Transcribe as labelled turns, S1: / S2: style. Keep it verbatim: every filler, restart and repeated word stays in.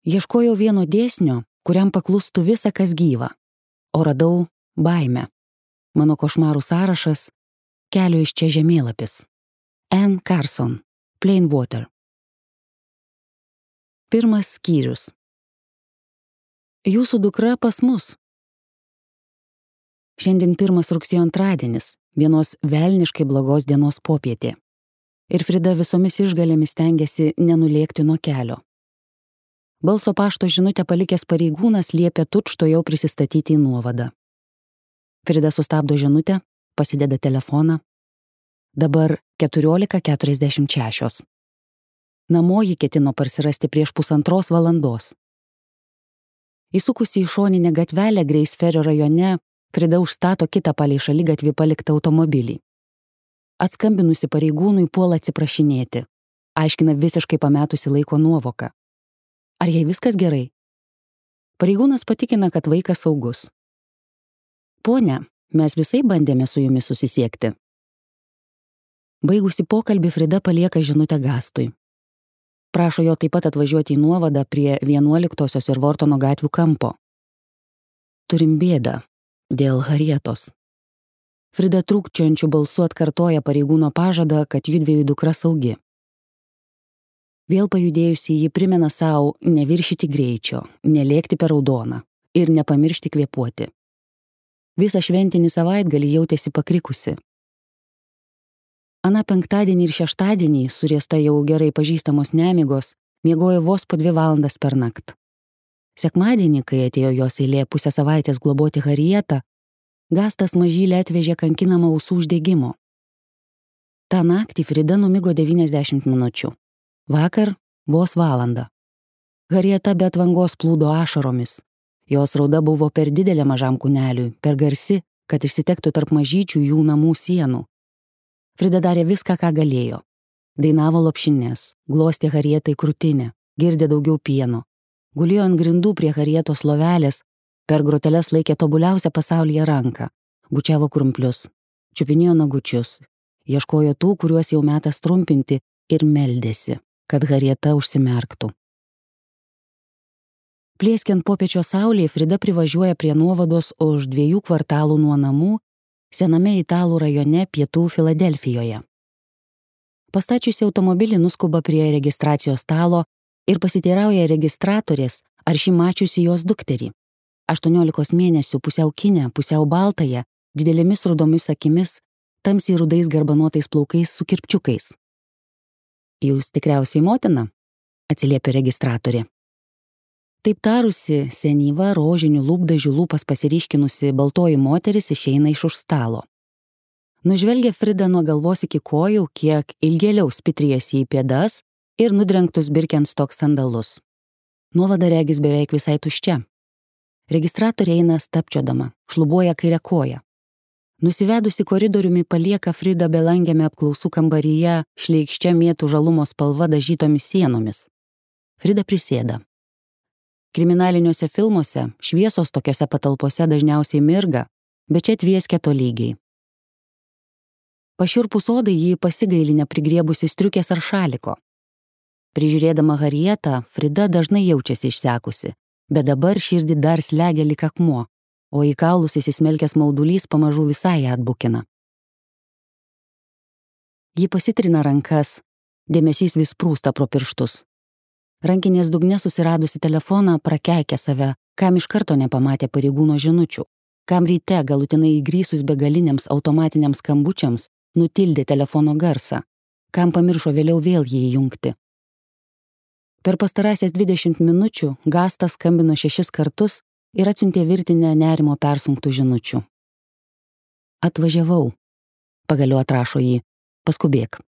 S1: Ieškojau vieno dėsnio, kuriam paklustų visa, kas gyva, o radau baimę. Mano košmarų sąrašas — kelio iš čia žemėlapis. Anne Carson, Plain Water. Pirmas skyrius. Jūsų dukra pas mus. Šiandien pirmas rugsėjo antradienis, vienos velniškai blogos dienos popietė. Ir Frida visomis išgalėmis stengiasi nenulėkti nuo kelio. Balso pašto žinutę palikęs pareigūnas liepia tučtuojau prisistatyti į nuovadą. Frida sustabdo žinutę, pasideda telefoną. Dabar keturiolika keturiasdešimt šešios. Namo ji ketino parsirasti prieš pusantros valandos. Įsukusi į šoninę gatvelę Greisferio rajone, Frida užstato kitą palei šaligatvį paliktą automobilį. Atskambinusi pareigūnui puola atsiprašinėti. Aiškina visiškai pametusi laiko nuovoką. Ar jai viskas gerai? Pareigūnas patikina, kad vaikas saugus. Ponia, mes visai bandėme su jumis susisiekti. Baigusi pokalbį, Frida palieka žinutę Gastui. Prašo jo taip pat atvažiuoti į nuovadą prie vienuoliktosios ir Vortono gatvių kampo. Turim bėdą dėl Harietos. Frida trūkčiojančiu balsu atkartoja pareigūno pažadą, kad judviejų dukra saugi. Vėl pajudėjusi ji primena savo neviršyti greičio, nelėkti per raudoną ir nepamiršti kvėpuoti. Visą šventinį savaitgalį jautėsi pakrikusi. Ana penktadienį ir šeštadienį, suriesta jau gerai pažįstamos nemigos, miegojo vos po dvi valandas per naktį. Sekmadienį, kai atėjo jos eilė pusę savaitės globoti Harietą, Gastas mažylę atvežė kankinamą ausų uždegimo. Ta naktį Frida numigo devyniasdešimt minučių. Vakar vos valandą. Harieta be atvangos plūdo ašaromis. Jos rauda buvo per didelė mažam kūneliui, per garsi, kad išsitektų tarp mažyčių jų namų sienų. Frida darė viską, ką galėjo. Dainavo lopšines, glostė Harietai krūtinę, girdė daugiau pieno. Gulėjo ant grindų prie Harietos lovelės, per groteles laikė tobuliausią pasaulyje ranką, bučiavo krumplius, čiupinėjo nagučius, ieškojo tų, kuriuos jau metas trumpinti ir meldėsi, kad Harieta užsimerktų. Plieskiant popiečio saulėje, Frida privažiuoja prie nuovados už dviejų kvartalų nuo namų, sename italų rajone pietų Filadelfijoje. Pastačiusi automobilį nuskuba prie registracijos stalo ir pasiteirauja registratorės, ar ši mačiusi jos dukterį. aštuoniolikos mėnesių pusiau kinę, pusiau baltąją, didelėmis rudomis akimis, tamsiai rudais garbanotais plaukais su kirpčiukais. Jūs tikriausiai motina, atsiliepia registratorė. Taip tarusi, senyva rožinių lūpdažių lūpas pasiryškinusi baltoji moteris išeina iš už stalo. Nužvelgia Frida nuo galvos iki kojų, kiek ilgėliau spitrijasi į pėdas ir nudrengtus Birkenstock sandalus. Nuovada regis beveik visai tuščia. Registratorė eina stapčiodama, šlubuoja kairę koją. Nusivedusi koridoriumi palieka Frida belangiame apklausų kambaryje šleikščia mėtų žalumo spalva dažytomis sienomis. Frida prisėda. Kriminaliniuose filmuose šviesos tokiose patalpose dažniausiai mirga, bet čia tvieskia tolygiai. Pašiurpus odai jį pasigaili neprigriebusi striukės ar šaliko. Prižiūrėdama Harietą, Frida dažnai jaučiasi išsekusi, bet dabar širdį dar slegia lyg akmuo, o į kaulus įsismelkęs maudulys pamažu visai atbukina. Ji pasitrina rankas, dėmesys vis prūsta pro pirštus. Rankinės dugne susiradusi telefoną prakeikia save, kam iš karto nepamatė pareigūno žinučių, kam ryte galutinai įgrysus begaliniams automatiniams skambučiams nutildė telefono garsą, kam pamiršo vėliau vėl jį įjungti. Per pastarąsias dvidešimt minučių Gastas skambino šešis kartus ir atsiuntė virtinę nerimo persunktų žinučių. Atvažiavau, pagaliau atrašo jį, paskubėk.